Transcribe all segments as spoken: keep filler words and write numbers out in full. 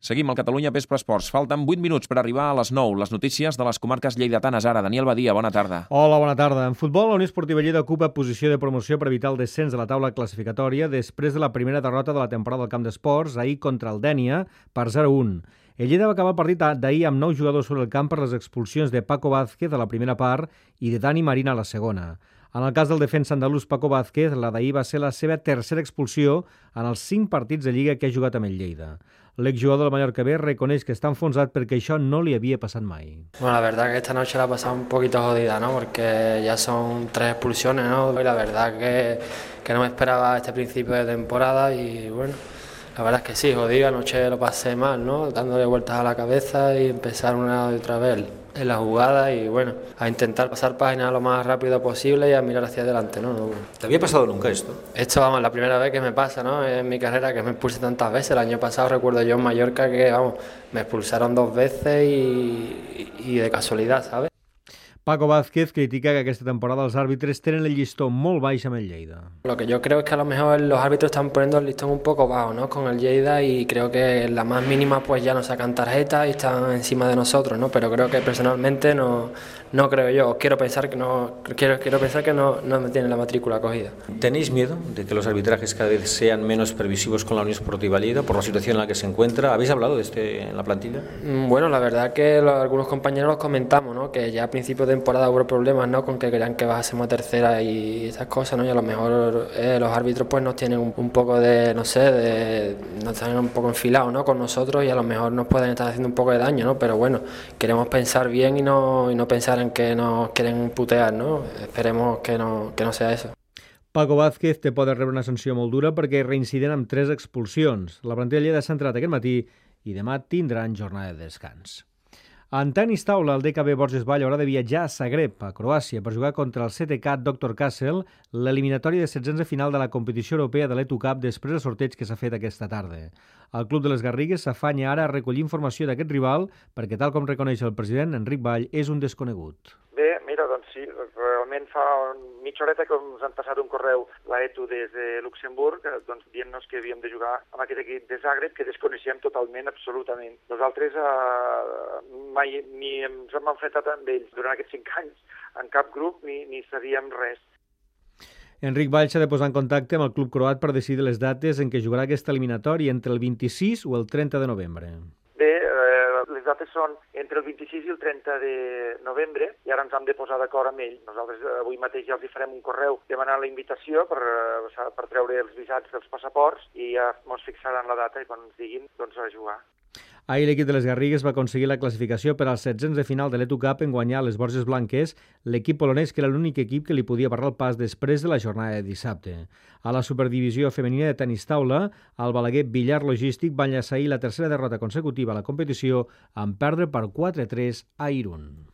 Seguim al Catalunya Vespre Esports. Falten vuit minuts per arribar a les nou. Les notícies de les comarques lleidatanes ara. Daniel Badia, bona tarda. Hola, bona tarda. En futbol, la Unió Esportiva Lleida ocupa posició de promoció per evitar el descens de la taula classificatòria després de la primera derrota de la temporada al Camp d'Esports, ahir contra el Dénia, per zero a un. El Lleida va acabar el partit d'ahir amb nou jugadors sobre el camp per les expulsions de Paco Vázquez a la primera part i de Dani Marina a la segona. En el cas del defensa andalús Paco Vázquez, la d'ahir va ser la seva tercera expulsió en els cinc partits de Lliga que ha jugat amb el Lleida. L'exjugador del Mallorca B reconeix que està enfonsat perquè això no li havia passat mai. Bueno, la verdad que esta noche la ha pasado un poquito jodida, ¿no? Porque ya son tres expulsiones, ¿no? Y la verdad que, que no me esperaba este principio de temporada y bueno, la verdad es que sí, jodido, anoche lo pasé mal, ¿no? Dándole vueltas a la cabeza y empezar una y otra vez en la jugada y bueno, a intentar pasar páginas lo más rápido posible y a mirar hacia adelante, ¿no? ¿Te había pasado nunca esto? Esto, vamos, la primera vez que me pasa, ¿no? En mi carrera, que me expulse tantas veces. El año pasado recuerdo yo en Mallorca que, vamos, me expulsaron dos veces y, y de casualidad, ¿sabes? Paco Vázquez critica que aquesta temporada els àrbitres tenen el llistó molt baix amb el Lleida. Lo que yo creo es que a lo mejor los árbitros están poniendo el listón un poco bajo, ¿no? Con el Lleida, y creo que en la más mínima pues ya nos sacan tarjetas y están encima de nosotros, ¿no? Pero creo que personalmente no, no creo yo, quiero pensar que no quiero, quiero pensar que no, no me tienen la matrícula cogida. ¿Tenéis miedo de que los arbitrajes cada vez sean menos permisivos con la Unión Esportiva Lleida por la situación en la que se encuentra? ¿Habéis hablado de este en la plantilla? Bueno, la verdad que los, algunos compañeros los comentamos, ¿no? Que ya a principio de temporada hubo problemas, ¿no? Con que querían que bajásemos a tercera y esas cosas, ¿no? Y a lo mejor eh, los árbitros pues nos tienen un, un poco de, no sé, de, nos tienen un poco enfilados, ¿no? Con nosotros, y a lo mejor nos pueden estar haciendo un poco de daño, ¿no? Pero bueno, queremos pensar bien y no, y no pensar en que nos quieren putear, ¿no? Esperemos que no, que no sea eso. Paco Vázquez té por de rebre una sanció molt dura perquè reincident amb tres expulsions. La plantilla Lleida s'ha entrat aquest matí i demà tindran jornada de descans. En tenis taula, el D K B Borges Vall haurà de viatjar a Zagreb, a Croàcia, per jugar contra el C T K doctor Kassel, l'eliminatòria de setzents de final de la competició europea de l'E T U Cup després del sorteig que s'ha fet aquesta tarda. El Club de les Garrigues s'afanya ara a recollir informació d'aquest rival perquè, tal com reconeix el president Enric Vall, és un desconegut. Bé, mira, doncs sí, realment fa mitja horeta que ens han passat un correu la E T U des de Luxemburg, doncs, dient-nos que havíem de jugar amb aquest equip de Zagreb, que desconeixem totalment, absolutament. Nosaltres eh, mai ni ens hem enfrontat amb ells durant aquests cinc anys en cap grup, ni, ni sabíem res. Enric Vall s'ha de posar en contacte amb el club croat per decidir les dates en què jugarà aquesta eliminatòria entre el vint-i-sis o el trenta de novembre. Bé, eh, les dates són entre el vint-i-sis i el trenta de novembre i ara ens hem de posar d'acord amb ell. Nosaltres avui mateix ja els hi farem un correu demanant la invitació per, per treure els visats dels passaports i ja ens fixaran la data i quan ens diguin doncs a jugar. Ahir l'equip de les Garrigues va aconseguir la classificació per als setzents de final de l'E T U Cup en guanyar les Borges Blanques, l'equip polonès que era l'únic equip que li podia barrar el pas després de la jornada de dissabte. A la superdivisió femenina de tenis taula, el Balaguer Villar Logístic va enllaçar ahir la tercera derrota consecutiva a la competició en perdre per quatre a tres a Irún.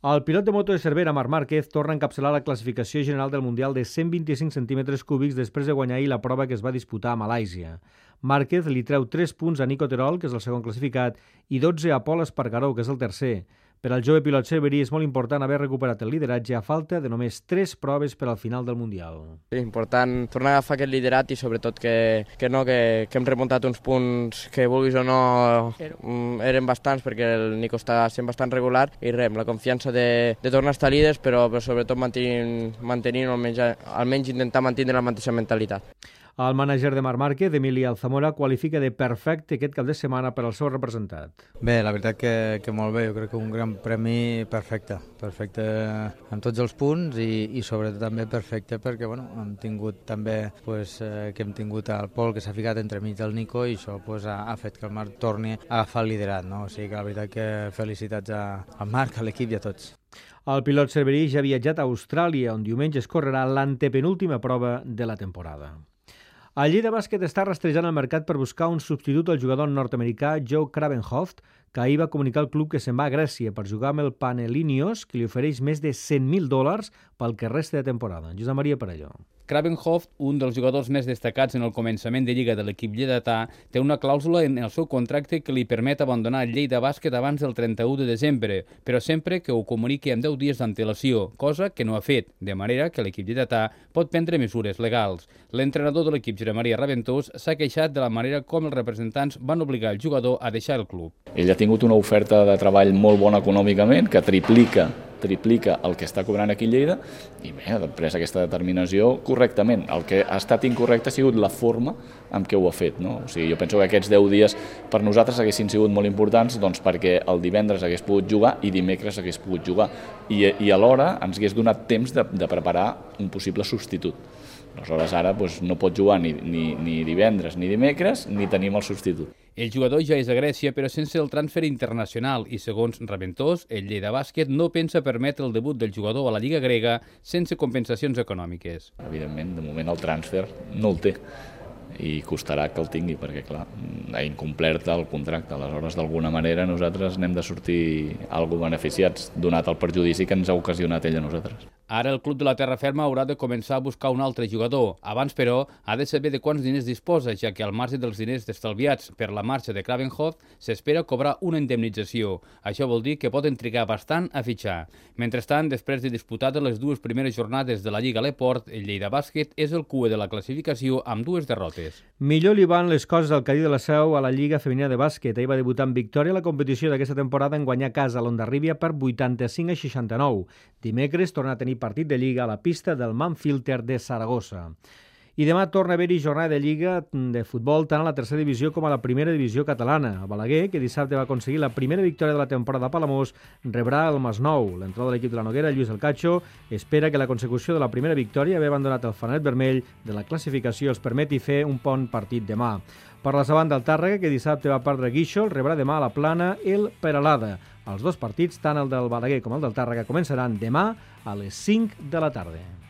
El pilot de moto de Cervera, Marc Márquez, torna a encapçalar la classificació general del Mundial de cent vint-i-cinc centímetres cúbics després de guanyar ahir la prova que es va disputar a Malàisia. Márquez li treu tres punts a Nico Terol, que és el segon classificat, i dotze a Pol Espargaró, que és el tercer. Per al jove pilot cerverí és molt important haver recuperat el lideratge a falta de només tres proves per al final del Mundial. És important tornar a agafar aquest liderat i sobretot que, que, no, que, que hem remuntat uns punts que vulguis o no eren bastants perquè el Nico està sent bastant regular i res, la confiança de, de tornar a estar líders però, però sobretot mantenint, mantenint almenys, almenys intentar mantenir la mateixa mentalitat. El mànager de Marc Márquez, Emili Alzamora, qualifica de perfecte aquest cap de setmana per al seu representat. Bé, la veritat que, que molt bé, jo crec que un gran premi perfecte, perfecte en tots els punts i, i sobretot també perfecte perquè bueno, hem tingut també pues, eh, que hem tingut el Pol que s'ha ficat entremig del Nico i això pues, ha, ha fet que el Marc torni a agafar el liderat, no? O sigui que la veritat que felicitats a, al Marc, a l'equip i a tots. El pilot cerverí ja ha viatjat a Austràlia, on diumenge es correrà l'antepenúltima prova de la temporada. El Lleida Bàsquet està rastrejant el mercat per buscar un substitut al jugador nord-americà Joe Kravenhoft, que ahir va comunicar al club que se'n va a Grècia per jugar amb el Panellinios, que li ofereix més de cent mil dòlars pel que resta de temporada. Josep Maria Parelló. Kravenhoft, un dels jugadors més destacats en el començament de Lliga de l'equip lleidatà, té una clàusula en el seu contracte que li permet abandonar el Lleida Bàsquet abans del trenta-u de desembre, però sempre que ho comuniqui amb deu dies d'antelació, cosa que no ha fet, de manera que l'equip lleidatà pot prendre mesures legals. L'entrenador de l'equip, Josep Maria Raventós, s'ha queixat de la manera com els representants van obligar el jugador a deixar el club. Ell ha tingut una oferta de treball molt bona econòmicament, que triplica triplica el que està cobrant aquí a Lleida i bé, ha pres aquesta determinació correctament. El que ha estat incorrecte ha sigut la forma amb què ho ha fet. No? O sigui, jo penso que aquests deu dies per nosaltres haguessin sigut molt importants doncs, perquè el divendres hagués pogut jugar i dimecres hagués pogut jugar i, i alhora ens hagués donat temps de, de preparar un possible substitut. Aleshores ara doncs, no pot jugar ni, ni, ni divendres ni dimecres ni tenim el substitut. El jugador ja és a Grècia, però sense el transfer internacional i, segons Raventós, el Lleida Bàsquet no pensa permetre el debut del jugador a la Lliga grega sense compensacions econòmiques. Evidentment, de moment el transfer no el té i costarà que el tingui perquè, clar, ha incomplert el contracte. Aleshores, d'alguna manera, nosaltres n'hem de sortir algo beneficiats, donat el perjudici que ens ha ocasionat ell a nosaltres. Ara el club de la Terra Ferma haurà de començar a buscar un altre jugador. Abans, però, ha de saber de quants diners disposa, ja que al marge dels diners estalviats per la marxa de Kravenhoft s'espera cobrar una indemnització. Això vol dir que poden trigar bastant a fitxar. Mentrestant, després de disputades les dues primeres jornades de la Lliga Leport, el Lleida Bàsquet és el cue de la classificació amb dues derrotes. Millor li van les coses al Cadí de la Seu a la Lliga Femenina de Bàsquet. Ell va debutar en victòria a la competició d'aquesta temporada en guanyar a casa a l'Ondarribia per vuitanta-cinc a seixanta-nou. Dimecres torna a tenir partit de Lliga a la pista del Manfilter de Saragossa. I demà torna a haver-hi jornada de Lliga de futbol tant a la tercera divisió com a la primera divisió catalana. El Balaguer, que dissabte va aconseguir la primera victòria de la temporada a Palamós, rebrà el Masnou. L'entrenador de l'equip de la Noguera, Lluís El Cacho, espera que la consecució de la primera victòria, haver abandonat el fananet vermell de la classificació, els permeti fer un bon partit demà. Per la davant del Tàrrega, que dissabte va perdre Guíxol, rebrà demà a la Plana el Peralada. Els dos partits, tant el del Balaguer com el del Tàrrega, començaran demà a les cinc de la tarda.